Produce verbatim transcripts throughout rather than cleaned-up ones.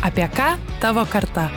Apie ką tavo karta?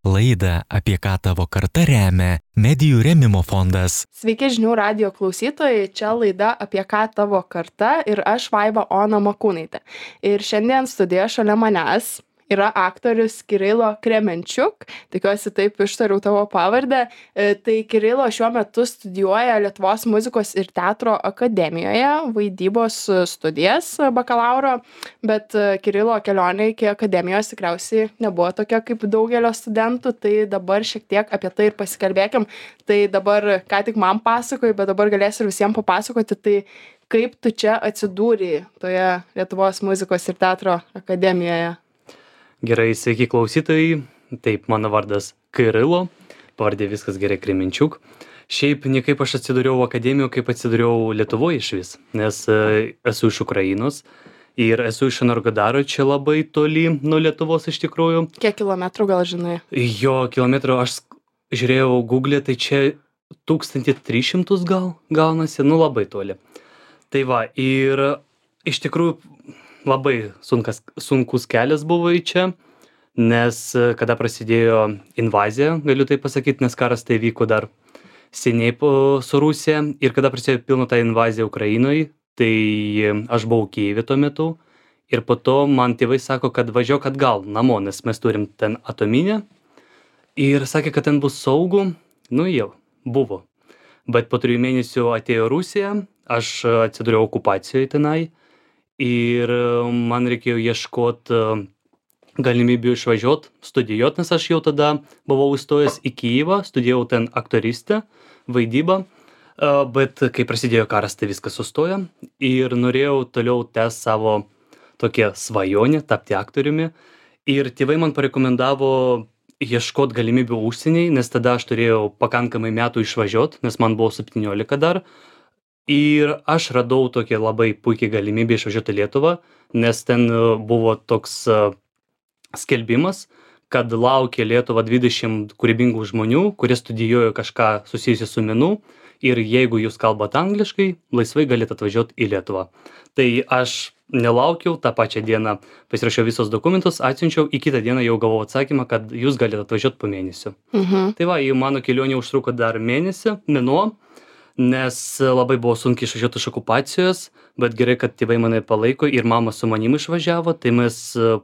Laidą Apie ką tavo karta remia Medijų rėmimo fondas. Sveiki žinių radijo klausytojai, čia laida Apie ką tavo karta ir aš Vaiva Ona Makūnaitė. Ir šiandien studijoje šalia manęs yra aktorius Kirilo Kremenčiuk, tikiuosi taip ištariau tavo pavardę. Tai Kirilo šiuo metu studijuoja Lietuvos muzikos ir teatro akademijoje, vaidybos studijas bakalauro, bet Kirilo kelionė iki akademijos tikriausiai nebuvo tokia kaip daugelio studentų, tai dabar šiek tiek apie tai ir pasikalbėkim. Tai dabar ką tik man pasakoji, bet dabar galėsiu ir visiems papasakoti, tai kaip tu čia atsidūrei toje Lietuvos muzikos ir teatro akademijoje. Gerai, sveiki klausytojai. Taip, mano vardas Kirilo, pavardė viskas gerai Kremenčiuk. Šiaip niekaip aš atsidūriau akademijoje, kaip atsidūriau Lietuvoje išvis, nes e, esu iš Ukrainos ir esu iš Energodaro, čia labai toli nuo Lietuvos iš tikrųjų. Kiek kilometrų gal žinai? Jo, kilometrų aš žiūrėjau Google, tai čia tūkstantis tris šimtus gal gaunasi, nu labai toli. Tai va, ir iš tikrųjų labai sunkas, sunkus kelias buvo į čia, nes kada prasidėjo invazija, galiu tai pasakyti, nes karas tai vyko dar seniai po, su Rusija, ir kada prasidėjo pilna ta invazija Ukrainoje, tai aš buvau Kijeve tuo metu, ir po to man tėvai sako, kad važiuok atgal namo, nes mes turim ten atominę, ir sakė, kad ten bus saugu, nu jau, buvo. Bet po trijų mėnesių atėjo Rusija, aš atsidūriau okupacijoje tenai, ir man reikėjo ieškoti galimybių išvažiuoti, studijuoti, nes aš jau tada buvau įstojęs į Kijevą, studijavau ten aktoristę, vaidybą, bet kai prasidėjo karas, tai viskas sustojo ir norėjau toliau tęsti savo tokią svajonę, tapti aktoriumi, ir tėvai man parekomendavo ieškoti galimybių užsieniai, nes tada aš turėjau pakankamai metų išvažiuoti, nes man buvo septyniolika dar. Ir aš radau tokią labai puikiai galimybę išvažiuoti į Lietuvą, nes ten buvo toks skelbimas, kad laukia Lietuva dvidešimt kūrybingų žmonių, kurie studijuoja kažką susijusi su menu, ir jeigu jūs kalbate angliškai, laisvai galite atvažiuoti į Lietuvą. Tai aš nelaukiau, tą pačią dieną pasirašiau visos dokumentus, atsiunčiau, į kitą dieną jau gavau atsakymą, kad jūs galite atvažiuoti po mėnesio. Mhm. Tai va, mano kelionė užtruko dar mėnesį, mėnuo, nes labai buvo sunkiai išvažiuoti iš okupacijos, bet gerai, kad tėvai mane palaiko ir mama su manim išvažiavo, tai mes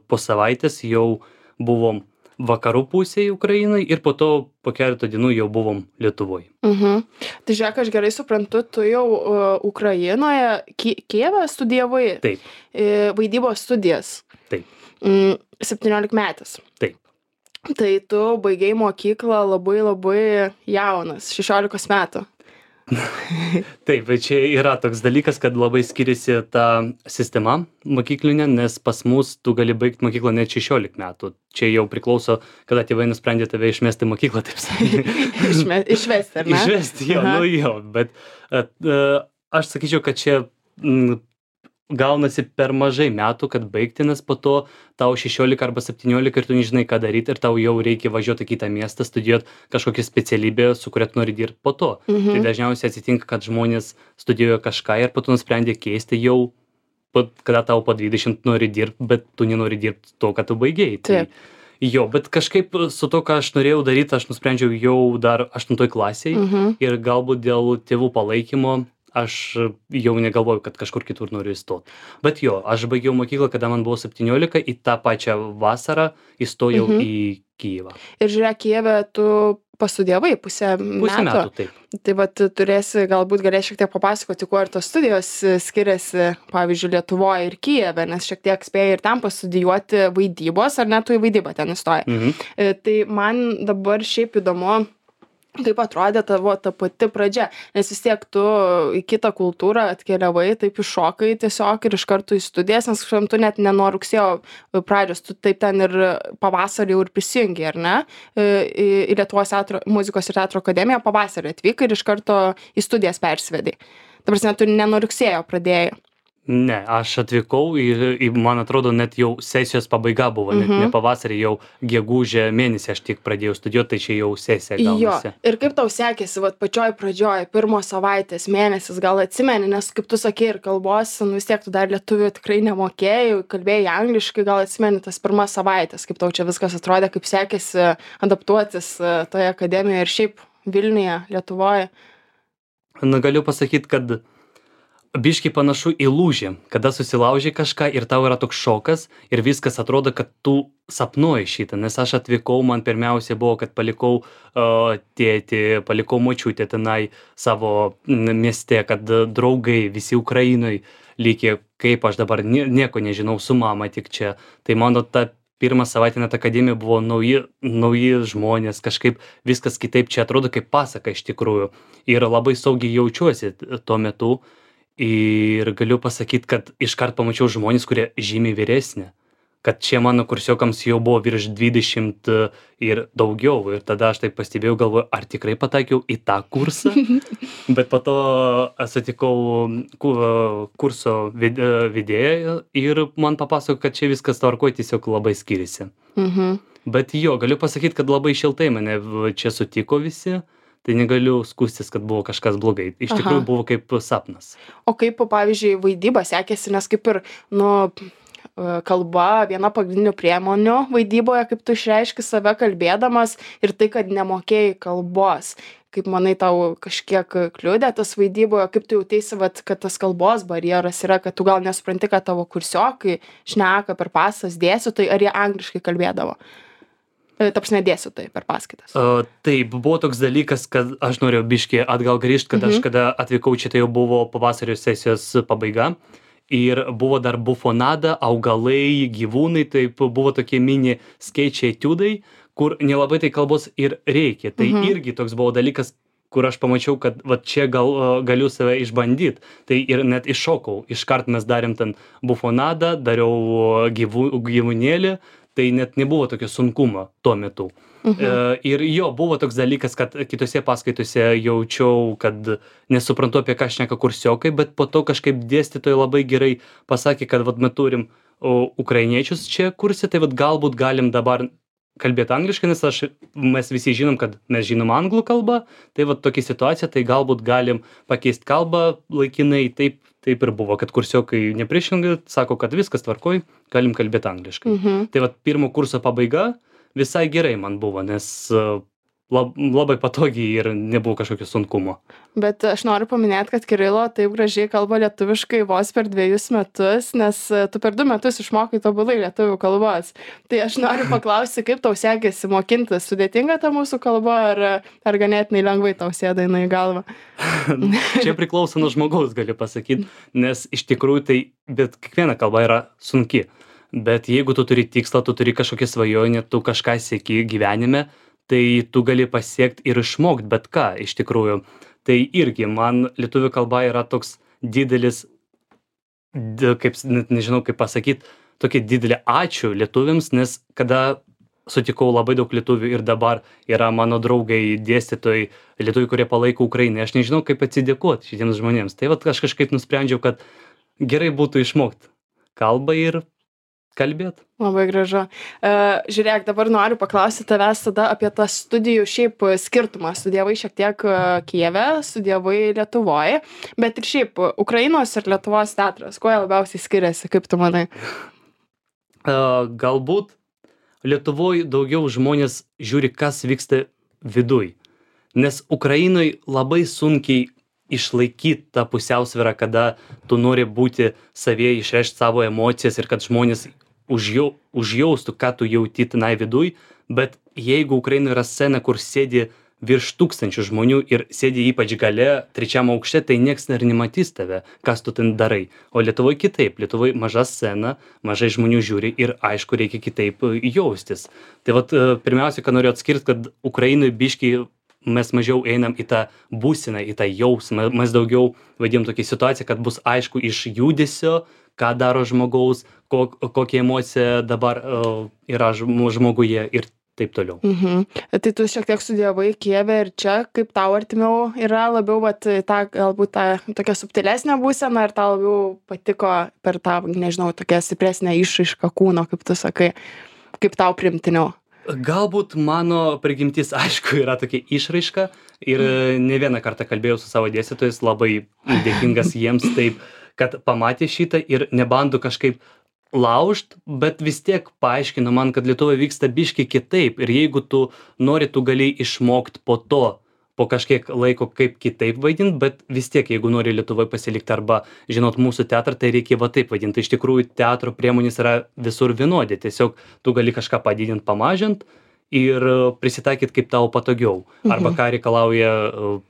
po savaitės jau buvom vakarų pusėje Ukrainai ir po to po keletą dienų jau buvom Lietuvoje. Mhm. Tai žiūrėk, aš gerai suprantu, tu jau uh, Ukrainoje, Ki Kijeve studijavai? Taip. Uh, vaidybos studijas? Taip. Mm, septyniolikmetis? Taip. Tai tu baigei mokyklą labai labai jaunas, šešiolikos metų. Taip, bet čia yra toks dalykas, kad labai skiriasi ta sistema mokyklinė, nes pas mus tu gali baigti mokyklą net šešiolika metų. Čia jau priklauso, kada tėvai nusprendė tave išmesti mokyklą, taip sakant. Išme, išvesti, ar ne? Išvesti, jo, Aha. nu jo, bet at, uh, aš sakyčiau, kad čia mm, gaunasi per mažai metų, kad baigti, nes po to tau šešiolika arba septyniolika ir tu nežinai, ką daryti, ir tau jau reikia važiuoti į kitą miestą, studijuoti kažkokią specialybę, su kuria tu nori dirbti po to. Mhm. Tai dažniausiai atsitinka, kad žmonės studijuoja kažką ir po to nusprendė keisti jau, kada tau po dvidešimt nori dirbti, bet tu nenori dirbti to, ką tu baigėjai. Tai, jo, bet kažkaip su to, ką aš norėjau daryti, aš nusprendžiau jau dar aštuntoj klasėje, mhm. ir galbūt dėl tėvų palaikymo aš jau negalvoju, kad kažkur kitur noriu įstoti. Bet jo, aš baigiau mokyklą, kada man buvo septyniolika, į tą pačią vasarą įstojau mhm. į Kijevą. Ir žiūrėk, Kijeve tu pastudijavai pusę metų. Pusę metų, taip. Tai vat turėsi, galbūt galėsi šiek tiek papasakoti, kuo ir tos studijos skiriasi, pavyzdžiui, Lietuvoje ir Kijeve, nes šiek tiek spėjai ir ten pastudijuoti vaidybos, ar ne, tu į vaidybą ten įstojai. Mhm. Tai man dabar šiaip įdomu, kaip atrodė tavo ta pati pradžia, nes vis tiek tu į kitą kultūrą atkeliavai, taip iššokai tiesiog ir iš karto į studijas, nes tu net ne nuo rugsėjo pradžios, tu taip ten ir pavasarį jau ir prisijungi, ar ne, į, į Lietuvos teatro, muzikos ir teatro akademiją pavasarį atvykai ir iš karto į studijas persvedai. Ta prasme, tu ne nuo rugsėjo pradėjai. Ne, aš atvykau ir, ir man atrodo, net jau sesijos pabaiga buvo, net Mhm. ne pavasarį, jau gegužę mėnesį aš tik pradėjau studijuoti, tai čia jau sesija Jo, gaunasi. ir kaip tau sekėsi, vat pačioj pradžioj, pirmos savaitės, mėnesis, gal atsimeni, nes kaip tu sakei ir kalbos, nu vis tiek tu dar lietuvių tikrai nemokėjai, kalbėjai angliškai, gal atsimeni tas pirmas savaitės, kaip tau čia viskas atrodė, kaip sekėsi adaptuotis e, toje akademijoje ir šiaip Vilniuje, Lietuvoje. Na, galiu pasakyti, kad biškai panašu į lūžį, kada susilaužiai kažką ir tau yra toks šokas ir viskas atrodo, kad tu sapnuoji šitą, nes aš atvykau, man pirmiausia buvo, kad palikau uh, tėtį, palikau močiutę tenai savo n- mieste, kad uh, draugai visi Ukrainoj likė, kaip aš dabar nie, nieko nežinau, su mama tik čia. Tai mano ta pirmą savaitę net akademija buvo nauji, nauji žmonės, kažkaip viskas kitaip čia atrodo kaip pasaka iš tikrųjų. Ir labai saugiai jaučiuosi t- tuo metu. Ir galiu pasakyt, kad iškart pamačiau žmonės, kurie žymiai vyresni. Kad čia mano kursiokams jau buvo virš dvidešimt e, ir daugiau. Ir tada aš taip pastebėjau, galvoju, ar tikrai pataikiau į tą kursą. Bet po to sutikau ku- kurso ved- e, vedėją ir man papasako, kad čia viskas tvarkoj, tiesiog labai skiriasi. Mhm. Bet jo, galiu pasakyti, kad labai šiltai mane v- čia sutiko visi. Tai negaliu skųstis, kad buvo kažkas blogai. Iš Aha. tikrųjų buvo kaip sapnas. O kaip, pavyzdžiui, vaidyba sekėsi, nes kaip ir, nu, e, kalba viena pagrindinių priemonių vaidyboje, kaip tu išreiški save kalbėdamas ir tai, kad nemokėjai kalbos. Kaip manai, tau kažkiek kliudė tas vaidyboje, kaip tu jautėsi, vat, kad tas kalbos barjeras yra, kad tu gal nesupranti, kad tavo kursiokai šneka per pasas dėstytojai, ar jie angliškai kalbėdavo. E, Ta prasme, dėstytojai per paskaitas. Uh, taip, buvo toks dalykas, kad aš norėjau biškį atgal grįžti, kad aš Mhm. kada atvykau čia, tai jau buvo pavasario sesijos pabaiga. Ir buvo dar bufonada, augalai, gyvūnai, taip buvo tokie mini skaičiai etiudai, kur nelabai tai kalbos ir reikia. Tai Mhm. irgi toks buvo dalykas, kur aš pamačiau, kad va čia gal, uh, galiu save išbandyti. Tai ir net iššokau. Iškart mes darėm ten bufonadą, dariau uh, gyvų, gyvūnėlį, tai net nebuvo tokio sunkumo tuo metu. Mhm. E, ir jo, buvo toks dalykas, kad kitose paskaitose jaučiau, kad nesuprantu, apie ką šneka kursiokai, bet po to kažkaip dėstytojai labai gerai pasakė, kad vat, mes turim o, ukrainiečius čia kurse, tai vat, galbūt galim dabar kalbėti angliškai, nes aš, mes visi žinom, kad mes žinom anglų kalbą, tai vat tokia situacija, tai galbūt galim pakeisti kalbą laikinai, taip, taip ir buvo, kad kursiokai nepriešingai sako, kad viskas tvarkoj, galim kalbėti angliškai. Mhm. Tai vat pirmo kurso pabaiga visai gerai man buvo, nes uh, lab, labai patogiai ir nebuvo kažkokio sunkumo. Bet aš noriu paminėti, kad Kirilo taip gražiai kalba lietuviškai vos per dviejus metus, nes e, tu per du metus išmokai tobulai lietuvių kalbos. Tai aš noriu paklausti, kaip tau sekėsi mokintis. Sudėtinga ta mūsų kalba, ar, ar ganėtinai lengvai tau sėda jinai į galvą? Čia priklauso nuo žmogaus, galiu pasakyti, nes iš tikrųjų tai, bet kiekviena kalba yra sunki. Bet jeigu tu turi tikslą, tu turi kažkokią svajonę, tu kažką sieki gyvenime, tai tu gali pasiekti ir išmokti bet ką iš tikrųjų. Tai irgi man lietuvių kalba yra toks didelis, d- kaip, s- net nežinau kaip pasakyti, tokia didelė ačiū lietuviams, nes kada sutikau labai daug lietuvių ir dabar yra mano draugai, dėstytojai, lietuviai, kurie palaiko Ukrainą, aš nežinau kaip atsidėkoti šitiems žmonėms. Tai vat aš kažkaip nusprendžiau, kad gerai būtų išmokti kalbą ir kalbėti. Labai gražu. E, žiūrėk, dabar noriu paklausti tavęs tada apie tą studijų šiaip skirtumą. Studijavai šiek tiek e, Kijeve, studijavai Lietuvoje, bet ir šiaip Ukrainos ir Lietuvos teatras. Kuo jie labiausiai skiriasi, kaip tu manai? Uh, galbūt Lietuvoje daugiau žmonės žiūri, kas vyksta viduj. Nes Ukrainoj labai sunkiai išlaikyti tą pusiausvyrą, kada tu nori būti savie, išreikšti savo emocijas ir kad žmonės užjau, užjaustų, ką tu jauti tenai viduj. Bet jeigu Ukrainoje yra scena, kur sėdi virš tūkstančių žmonių ir sėdi ypač gale, trečiam aukšte, tai nieks ir nematys tave, kas tu ten darai. O Lietuvoje kitaip. Lietuvoje maža scena, mažai žmonių žiūri ir aišku, reikia kitaip jaustis. Tai vat, pirmiausia, ką noriu atskirti, kad Ukrainoje biški mes mažiau einam į tą būseną, į tą jausmą. Mes daugiau vadinam tokią situaciją, kad bus aišku iš judesio, ką daro žmogaus, ko, kokia emocija dabar uh, yra žm- žmoguje. Ir taip toliau. Mhm. Tai tu šiek tiek studijavai Kijeve ir čia, kaip tau artimiau yra labiau, vat, ta, galbūt ta tokia subtilesnė būsena, ar tau labiau patiko per tą, nežinau, tokią stipresnę išraišką kūno, kaip tu sakai, kaip tau primtiniau? Galbūt mano prigimtis, aišku, yra tokia išraiška ir ne vieną kartą kalbėjau su savo dėstytojais, labai dėkingas jiems taip, kad pamatė šitą ir nebando kažkaip laužt, bet vis tiek paaiškino man, kad Lietuvoje vyksta biški kitaip ir jeigu tu nori, tu gali išmokt po to, po kažkiek laiko kaip kitaip vaidint, bet vis tiek, jeigu nori Lietuvoje pasilikti arba žinot mūsų teatrą, tai reikia va taip vaidinti. Iš tikrųjų, teatro priemonės yra visur vienodė, tiesiog tu gali kažką padidint, pamažint ir prisitaikyt kaip tau patogiau, arba ką reikalauja uh,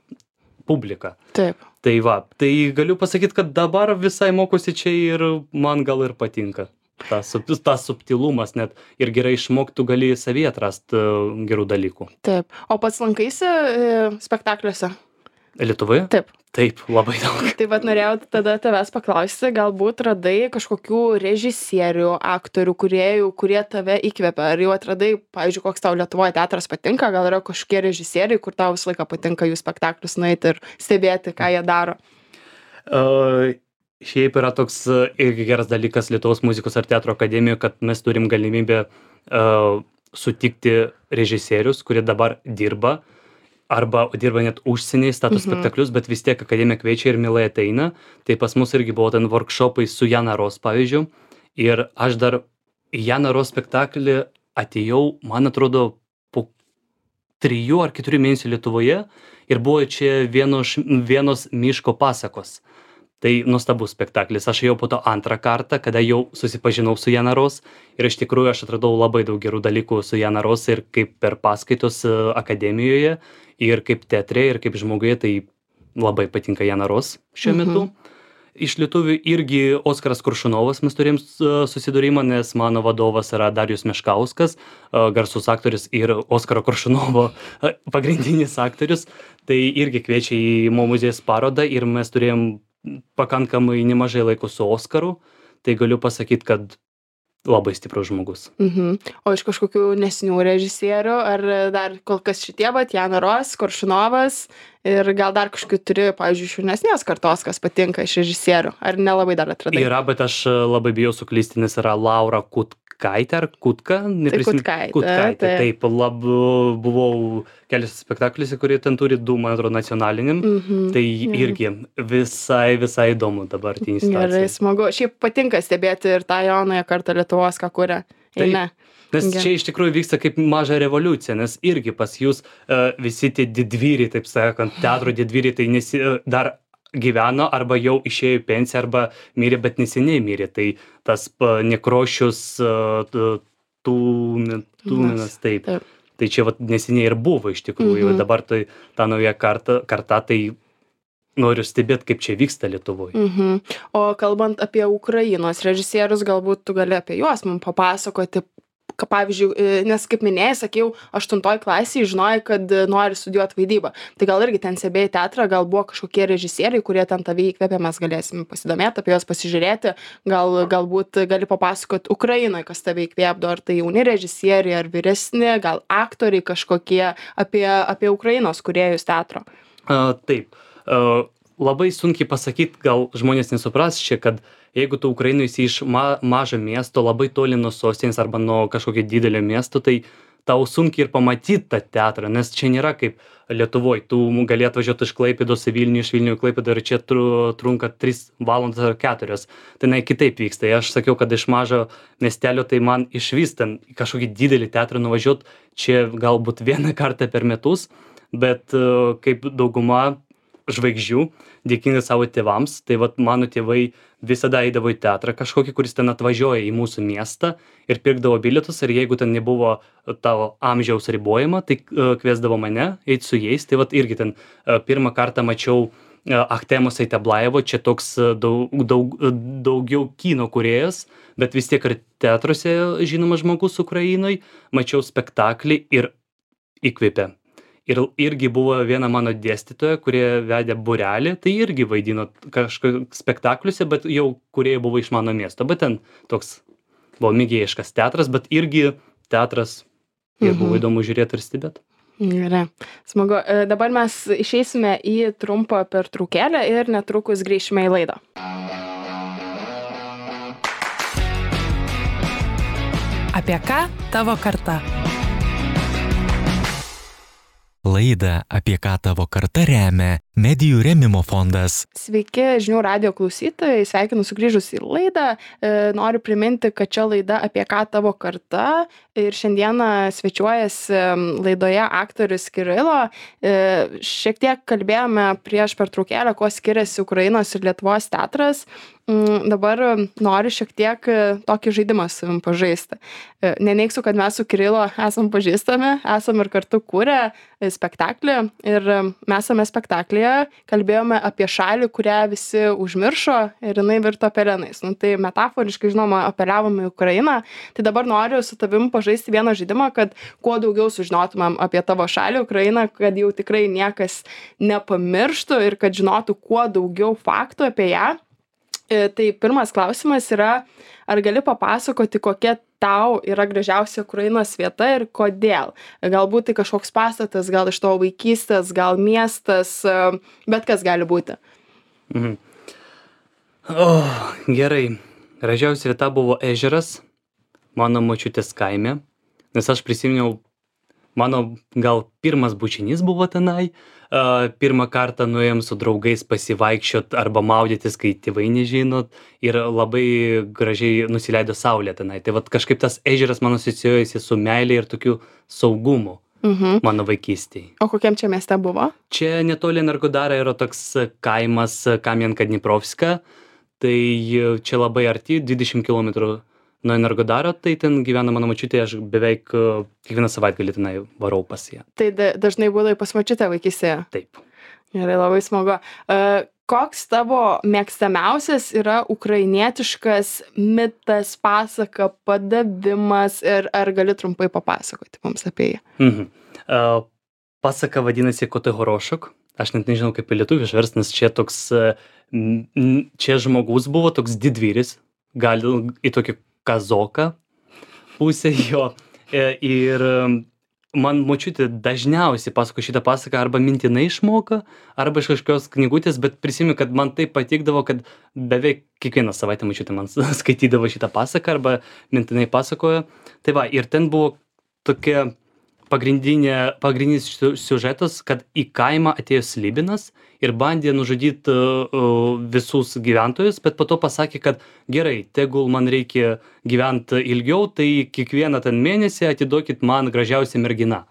publika. Taip. Tai va, tai galiu pasakyti, kad dabar visai mokosi čia ir man gal ir patinka. Tas, tas subtilumas net ir gerai išmoktų gali savyje atrasti uh, gerų dalykų. Taip. O pats lankaisi e, spektakliuose? Lietuvoje? Taip. Taip, labai daug. Tai vat norėjau tada tavęs paklausti, galbūt radai kažkokių režisierių, aktorių, kūrėjų, kurie tave įkvepia. Ar jau atradai, pavyzdžiui, koks tau Lietuvoje teatras patinka, gal yra kažkokie režisieriai, kur tau visą laiką patinka jų spektaklius nueiti ir stebėti, ką jie daro? Uh, šiaip yra toks uh, irgi geras dalykas Lietuvos muzikos ir teatro akademijoje, kad mes turim galimybę uh, sutikti režisierius, kurie dabar dirba, arba dirba net užsieniai, stato Mhm. spektaklius, bet vis tiek akademija kviečia ir mielai ateina. Tai pas mus irgi buvo ten workshopai su Jana Ros, pavyzdžiui. Ir aš dar į Jana Ros spektaklį atėjau, man atrodo, po trijų ar keturių mėnesių Lietuvoje ir buvo čia vienos, vienos miško pasakos. Tai nuostabus spektaklis. Aš jau po to antrą kartą, kada jau susipažinau su Jana Ros ir iš tikrųjų aš atradau labai daug gerų dalykų su Jana Ros ir kaip per paskaitos uh, akademijoje ir kaip teatre ir kaip žmoguje, tai labai patinka Jana Ros šiuo metu. Iš lietuvių irgi Oskaras Koršunovas mes turėjom uh, susidūrimą, nes mano vadovas yra Darijus Meškauskas, uh, garsus aktorius ir Oskaro Koršunovo uh, pagrindinis aktorius. Tai irgi kviečia į Mo muziejus parodą ir mes turėjom pakankamai nemažai laiko su Oskaru. Tai galiu pasakyti, kad labai stiprus žmogus. Mhm. O iš kažkokių nesinių režisierių, ar dar kol kas šitie, vat, Jana Ros, Koršunovas ir gal dar kažkokių turi, pavyzdžiui, iš jaunesnės kartos, kas patinka iš režisierių, ar nelabai dar atradai? Yra, bet aš uh, labai bijau suklysti, nes yra Laura Kutkaitė ar Kutka? Neprisimenu. Kutkaitė, Kutkaitė, taip. taip. Lab, buvau keliose spektakliuose, kurie ten turi du, man atrodo, nacionaliniam. Mhm. Tai Gerai. irgi visai, visai įdomu dabartinį Gerai, situaciją. smagu. Šiaip patinka stebėti ir tą jaunąją kartą Lietuvos, ką kuria. Taip. Ne. Nes Gerai. čia iš tikrųjų vyksta kaip maža revoliucija, nes irgi pas jūs uh, visi tie didvyriai, taip sakant, teatro didvyriai, tai nesi, uh, dar gyveno arba jau išėjo į pensiją arba mirė, bet neseniai mirė. Tai tas uh, Nekrošius, uh, Tūminas, Tūminas, taip. Taip. Tai čia vat, neseniai ir buvo iš tikrųjų. Mhm. Dabar tai ta nauja karta, karta, tai noriu stebėti, kaip čia vyksta Lietuvoje. Mhm. O kalbant apie Ukrainos režisierius, galbūt tu gali apie juos mums papasakoti, ka, pavyzdžiui, e, nes kaip minėjai, sakiau, aštuntoj klasėje žinojai, kad e, nori studijuoti vaidybą. Tai gal irgi ten stebėjai teatrą, gal buvo kažkokie režisieriai, kurie ten tave įkvėpė, mes galėsim pasidomėti, apie juos pasižiūrėti, gal, galbūt gali papasakoti Ukrainoje, kas tave įkvėpdo, ar tai jauni režisieriai, ar vyresni, gal aktoriai kažkokie, apie, apie Ukrainos kūrėjus teatro. Uh, taip. Uh, labai sunkiai pasakyti, gal žmonės nesupras čia, kad jeigu tu Ukrainoje esi iš ma mažo miesto, labai toli nuo sostinės arba nuo kažkokio didelio miesto, tai tau sunkiai ir pamatyti tą teatrą, nes čia nėra kaip Lietuvoje. Tu gali atvažiuoti iš Klaipėdos į Vilnių, iš Vilnių į Klaipėdą ir čia tru, trunka tris valandas ar keturios. Tai na, kitaip vyksta. Aš sakiau, kad iš mažo miestelio, tai man išvis ten į kažkokį didelį teatrą nuvažiuoti čia galbūt vieną kartą per metus, bet uh, kaip dauguma žvaigždžių, dėkingas savo tėvams, tai vat mano tėvai visada eidavo į teatrą kažkokį, kuris ten atvažiuoja į mūsų miestą ir pirkdavo bilietus, ir jeigu ten nebuvo tavo amžiaus ribojimo, tai uh, kviesdavo mane eiti su jais. Tai vat irgi ten uh, pirmą kartą mačiau uh, Achtemos Eiteblajevo, čia toks uh, daug, daug, uh, daugiau kino kūrėjas, bet vis tiek ir teatruose žinomas žmogus Ukrainoj, mačiau spektaklį ir įkvėpė. Ir irgi buvo viena mano dėstytoja, kurie vedė būrelį, tai irgi vaidino kažkokiu spektakliuose, bet jau kurie buvo iš mano miesto. Bet ten toks buvo mėgėjiškas teatras, bet irgi teatras ir buvo įdomu žiūrėti ir stebėti. Gerai, smagu. E, Dabar mes išeisime į trumpą pertraukėlę ir netrukus grįšime į laidą. Apie ką tavo karta? Laidą Apie ką tavo karta remia Medijų rėmimo fondas. Sveiki, žinių radijo klausytojai, sveikinu sugrįžus į laidą. E, Noriu priminti, kad čia laida Apie ką tavo karta ir šiandieną svečiuojasi laidoje aktorius Kirilo. E, Šiek tiek kalbėjome prieš pertraukėlę, kuo skiriasi Ukrainos ir Lietuvos teatras. Mm, Dabar noriu šiek tiek e, tokį žaidimą su savim pažaisti. E, Neneigsiu, kad mes su Kirilo esam pažįstami, esam ir kartu kūrę e, spektaklį ir e, mes esame spektaklyje kalbėjome apie šalį, kurią visi užmiršo ir jinai virto pelenais. Nu, tai metaforiškai, žinoma, apeliavome į Ukrainą. Tai dabar noriu su tavim pažaisti vieną žaidimą, kad kuo daugiau sužinotumėm apie tavo šalį, Ukrainą, kad jau tikrai niekas nepamirštų ir kad žinotų kuo daugiau faktų apie ją. E, Tai pirmas klausimas yra, ar gali papasakoti, kokia tau yra gražiausia Ukrainos vieta ir kodėl? Galbūt tai kažkoks pastatas, gal iš tavo vaikystės, gal miestas, e, bet kas gali būti. Mhm. O, gerai. Gražiausia vieta buvo ežeras, mano močiutės kaime, nes aš prisiminiau, mano gal pirmas bučinys buvo tenai. Uh, pirmą kartą nuėjom su draugais pasivaikščiot arba maudytis, kai tėvai nežinot, ir labai gražiai nusileido saulė tenai. Tai vat kažkaip tas ežeras man asocijuojasi su meilė ir tokiu saugumu Mhm. mano vaikystėje. O kokiam čia mieste buvo? Čia netoli Energodara yra toks kaimas Kamienka Dniprovska, tai čia labai arti, dvidešimt kilometrų nuo Energodaro, tai ten gyvena mano močiutė, aš beveik uh, kiekvieną savaitgalį tenai varau pas ją. Tai da- dažnai būdai pas močiutę vaikystėje. Taip. Gerai, labai smagu. E, Koks tavo mėgstamiausias yra ukrainietiškas mitas, pasaka, padavimas ir ar gali trumpai papasakoti mums apie jį? Mhm. Uh, pasaka vadinasi Kotai Horošok. Aš net nežinau, kaip į lietuvių išverst, nes čia toks, uh, m- m- čia žmogus buvo toks didvyris, gal į tokį kazoką pusę jo. E, Ir um, man močiutė dažniausiai pasako šitą pasaką arba mintinai išmoka, arba iš kažkokios knygutės, bet prisimenu, kad man tai patikdavo, kad beveik kiekvieną savaitę močiutė man skaitydavo šitą pasaką arba mintinai pasakojo. Tai va, ir ten buvo tokia pagrindinė, pagrindinis siu- siužetas, kad į kaimą atėjo slibinas ir bandė nužudyti uh, uh, visus gyventojus, bet po to pasakė, kad gerai, tegul man reikia gyventi ilgiau, tai kiekvieną ten mėnesį atiduokit man gražiausią merginą.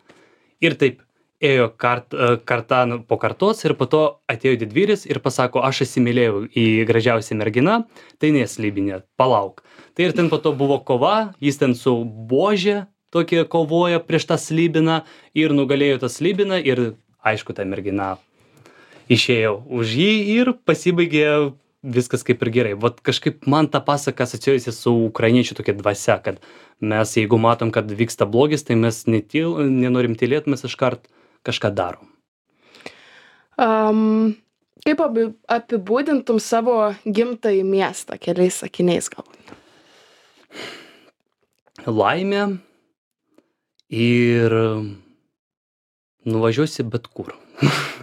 Ir taip ėjo kart, uh, kartą nu, po kartos ir po to atėjo didvyris ir pasako, aš įsimylėjau į gražiausią merginą, tai neslibinė, palauk. Tai ir ten po to buvo kova, jis ten su buože tokie kovoja prieš tą slibiną ir nugalėjo tą slibiną ir aišku, ta mergina išėjo už jį ir pasibaigė viskas kaip ir gerai. Vat kažkaip man ta pasaka asocijuojasi su ukrainiečių tokia dvasia, kad mes jeigu matom, kad vyksta blogis, tai mes netyl, nenorim tylėti, mes iškart kažką darom. Um, kaip abi- apibūdintum savo gimtąjį miestą keliais sakiniais galbūt? Laimė ir nuvažiuosi bet kur.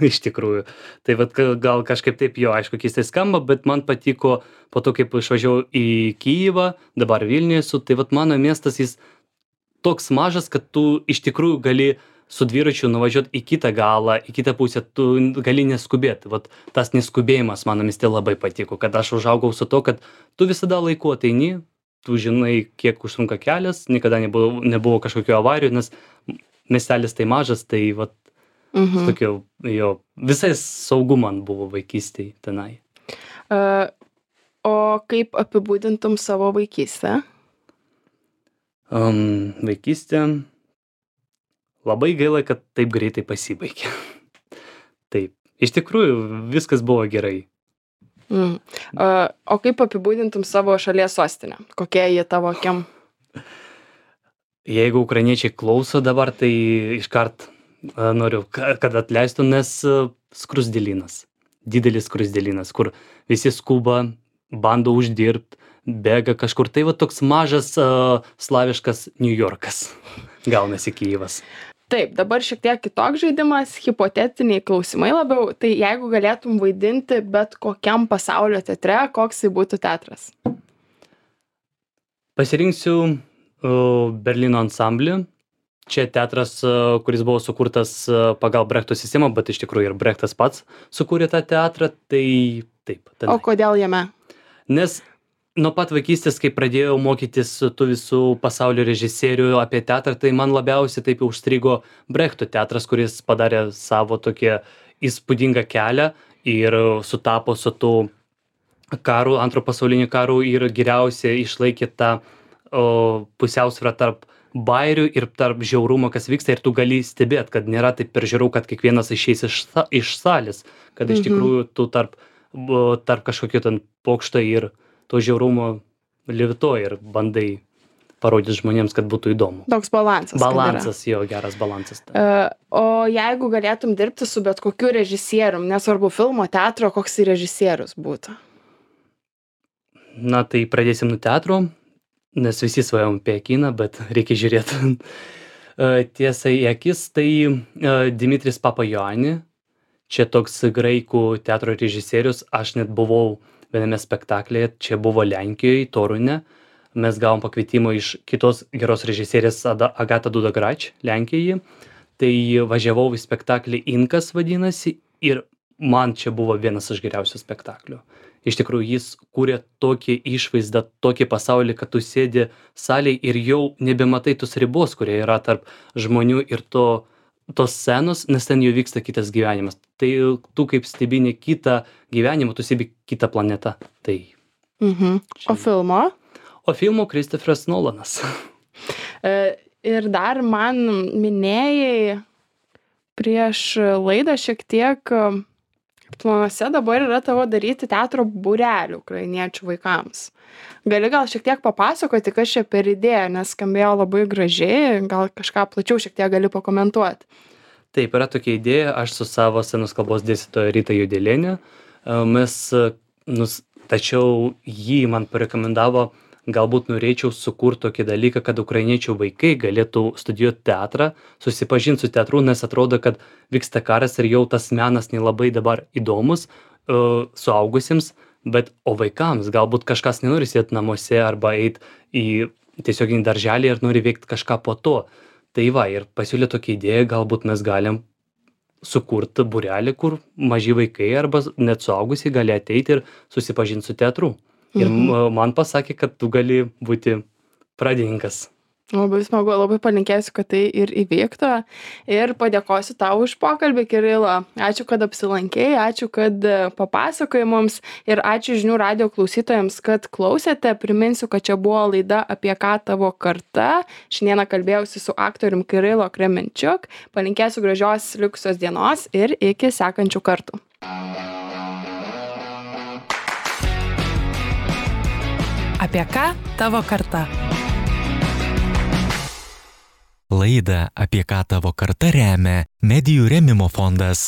Iš tikrųjų. Tai vat ka- gal kažkaip taip jo, aišku, keistai skamba, bet man patiko po to, kaip išvažiavau į Kyjivą, dabar Vilniuje esu, tai vat mano miestas jis toks mažas, kad tu iš tikrųjų gali su dviračiu nuvažiuoti į kitą galą, į kitą pusę, tu gali neskubėti. Vat tas neskubėjimas mano mieste labai patiko, kad aš užaugau su to, kad tu visada laiku ateini, tu žinai, kiek užtrunka kelias, niekada nebuvo, nebuvo kažkokių avarijų, nes miestelis tai mažas, tai vat Mhm. tokio, jo, visai saugu man buvo vaikystėje tenai. Uh, o kaip apibūdintum savo vaikystę? Um, vaikystė labai gaila, kad taip greitai pasibaigė. Taip, iš tikrųjų viskas buvo gerai. Mm. Uh, o kaip apibūdintum savo šalies sostinę? Kokia jie tavo akim? Jeigu ukrainiečiai klauso dabar, tai iškart a, noriu, ka- kad atleistų, nes a, skruzdėlynas, didelis skruzdėlynas, kur visi skuba, bando uždirbti, bėga kažkur. Tai va toks mažas a, slaviškas New Yorkas. gaunasi Kyjivas. Taip, dabar šiek tiek kitoks žaidimas, hipotetiniai klausimai labiau. Tai jeigu galėtum vaidinti bet kokiam pasaulio teatre, koks tai būtų teatras? Pasirinksiu uh, Berlyno ansamblį. Čia teatras, uh, kuris buvo sukurtas uh, pagal Brechto sistemą, bet iš tikrųjų ir Brechtas pats sukūrė tą teatrą, tai taip. Tenai. O kodėl jame? Nes nuo pat vaikystės, kai pradėjau mokytis tų visų pasaulio režisierių apie teatrą, tai man labiausiai taip užstrigo Brechto teatras, kuris padarė savo tokią įspūdingą kelią ir sutapo su tų karų, antro pasaulinio karų ir geriausiai išlaikė tą o, pusiausvyrą tarp bairių ir tarp žiaurumo, kas vyksta, ir tu gali stebėt, kad nėra taip per žiauru, kad kiekvienas išeis iš, iš salės, kad iš tikrųjų tu tarp, tarp kažkokio ten pokšto ir to žiaurumo levituoji ir bandai parodyti žmonėms, kad būtų įdomu. Toks balansas. Balansas, jo, geras balansas. Uh, o jeigu galėtum dirbti su bet kokiu režisierium, nesvarbu filmo, teatro, koks tai režisierius būtų? Na, tai pradėsim nuo teatro, nes visi svajom apie kiną, bet reikia žiūrėti tiesai į akis. Tai uh, Dimitris Papajani, čia toks graikų teatro režisierius, aš net buvau viename spektaklyje, čia buvo Lenkijoje, Torune. Mes gavom pakvietimą iš kitos geros režisierės Agata Dudagrač, Lenkijoje. Tai važiavau į spektaklį Inkas vadinasi ir man čia buvo vienas iš geriausių spektaklių. Iš tikrųjų, jis kūrė tokį išvaizdą, tokį pasaulį, kad tu sėdi salėje ir jau nebematai tos ribos, kurie yra tarp žmonių ir to tos scenos, nes ten jau vyksta kitas gyvenimas. Tai tu kaip stebini kitą gyvenimą, tu stebi kitą planetą. Tai. Mhm. O filmo? O filmo Christopheras Nolanas. E, ir dar man minėjai prieš laidą šiek tiek, planuose dabar yra tavo daryti teatro būrelių ukrainiečių vaikams. Gali gal šiek tiek papasakoti, kas čia per idėja, nes skambėjo labai gražiai, gal kažką plačiau šiek tiek gali pakomentuoti. Taip, yra tokia idėja, aš su savo scenos kalbos dėstytoja Rita Judelienė, mes, nus, tačiau jį man parekomendavo, galbūt norėčiau sukurti tokį dalyką, kad ukrainiečių vaikai galėtų studijuoti teatrą, susipažinti su teatru, nes atrodo, kad vyksta karas ir jau tas menas nelabai dabar įdomus uh, suaugusiems, bet o vaikams galbūt kažkas nenori sėdėti namuose arba eiti į tiesioginį darželį ir nori veikti kažką po to. Tai va, ir pasiūlė tokia idėja, galbūt mes galim sukurti būrelį, kur maži vaikai arba net suaugusiai gali ateiti ir susipažinti su teatru. Ir mhm. man pasakė, kad tu gali būti pradininkas. Labai smagu, labai palinkėsiu, kad tai ir įvyktų. Ir padėkosiu tau už pokalbį, Kirilo. Ačiū, kad apsilankei, ačiū, kad papasakojai mums ir ačiū Žinių radijo klausytojams, kad klausėte. Priminsiu, kad čia buvo laida Apie ką tavo karta. Šiandieną kalbėjausi su aktorium Kirilo Kremenčiuk. Palinkėsiu gražios likusios dienos ir iki sekančių kartų. Apie ką tavo karta? Laidą Apie ką tavo karta remia Medijų rėmimo fondas.